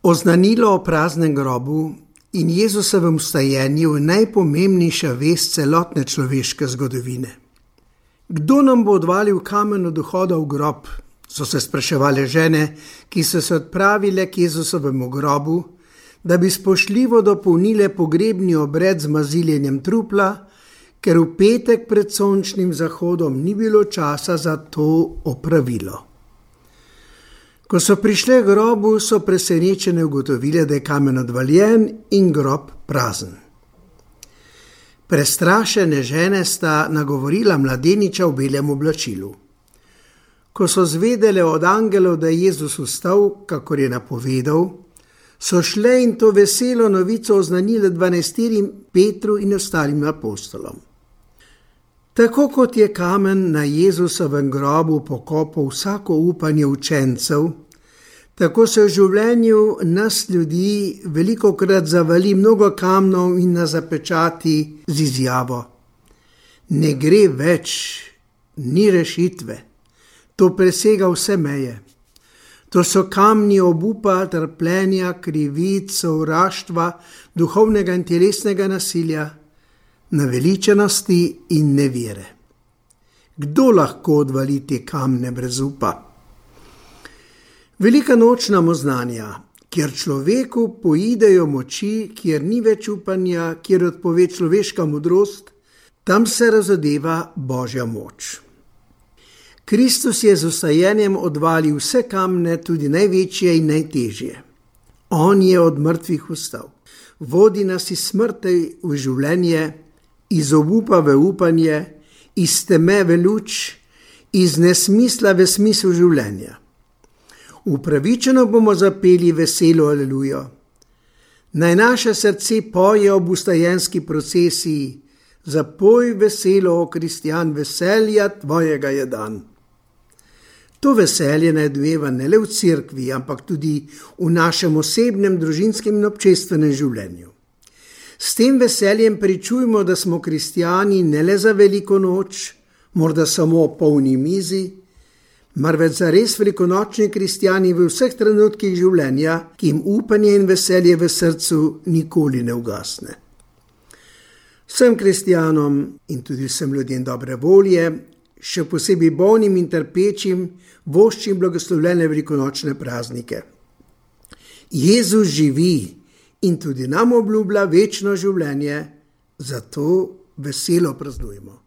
Oznanilo o praznem grobu in Jezusovem vstajenju je najpomembnejša vest celotne človeške zgodovine. Kdo nam bo odvalil kamen od vhoda v grob, so se spraševale žene, ki so se odpravile k Jezusovemu grobu, da bi spoštljivo dopolnile pogrebni obred z maziljenjem trupla, ker v petek pred sončnim zahodom ni bilo časa za to opravilo. Ko so prišle k grobu, so presenečene ugotovile, da je kamen odvaljen in grob prazen. Prestrašene žene sta nagovorila mladeniča v belem oblačilu. Ko so zvedele od angelov, da je Jezus vstal, kakor je napovedal, so šle in to veselo novico oznanile 12 Petru in ostalim apostolom. Tako kot je kamen na Jezusovem grobu pokopal vsako upanje učencev, tako se v življenju nas ljudi velikokrat zavali mnogo kamnov in nas zapečati z izjavo: ne gre več, ni rešitve, to presega vse meje. To so kamni obupa, trpljenja, krivic, sovraštva, duhovnega in telesnega nasilja, naveličenosti in nevere. Kdo lahko odvali te kamne brez upa? Velika noč nam oznanja, kjer človeku poidejo moči, kjer ni več upanja, kjer odpove človeška modrost, tam se razodeva Božja moč. Kristus je z vstajenjem odvalil vse kamne, tudi največje in najtežje. On je od mrtvih vstal. Vodi nas iz smrti v življenje, iz obupa v upanje, iz teme v luč, iz nesmisla v smisel življenja. Upravičeno bomo zapeli veselo alelujo. Naj naše srce poje ob vstajenski procesiji: zapoj veselo, o Kristjan, veselja tvojega je dan. To veselje naj dojeva ne le v cerkvi, ampak tudi v našem osebnem, družinskem in občestvenem življenju. S tem veseljem pričujmo, da smo kristjani ne le za veliko noč, morda samo o polni mizi, marveč za res velikonočni kristjani v vseh trenutkih življenja, ki jim upanje in veselje v srcu nikoli ne ugasne. Vsem kristjanom in tudi vsem ljudem dobre volje, še posebej bolnim in trpečim, voščim blagoslovljene velikonočne praznike. Jezus živi in tudi nam obljublja večno življenje, zato veselo praznujmo.